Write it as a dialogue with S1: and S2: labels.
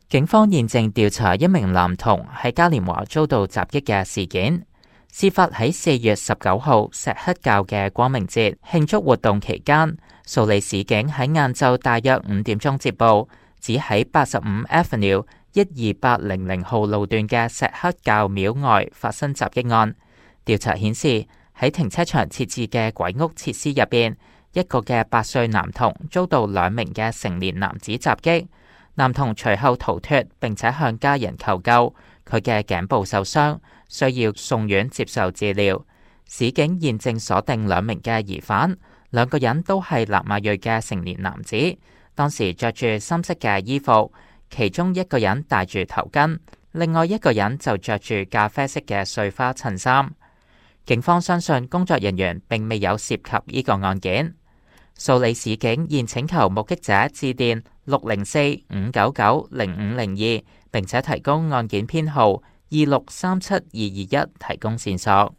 S1: 警方現正調查一名男童喺嘉年華遭到襲擊嘅事件。事發喺4月19號錫克教嘅光明節慶祝活動期間，蘇里市警喺晏晝大約5點鐘接報，指喺85 Avenue 12800號路段嘅錫克教廟外發生襲擊案。調查顯示，喺停車場設置嘅鬼屋設施入邊，一個嘅8歲男童遭到2名嘅成年男子襲擊。男童隨後逃脫，並且向家人求救，佢嘅頸部受傷，需要送院接受治療。市警現正鎖定2名嘅疑犯，2個人都係南亞裔嘅成年男子，當時着住深色嘅衣服，其中一個人戴住頭巾，另外一個人就着住咖啡色嘅碎花襯衫。警方相信工作人員並未有涉及呢個案件。蘇里市警現請求目擊者致電604-599-0502，並且提供案件編號2637-221提供線索。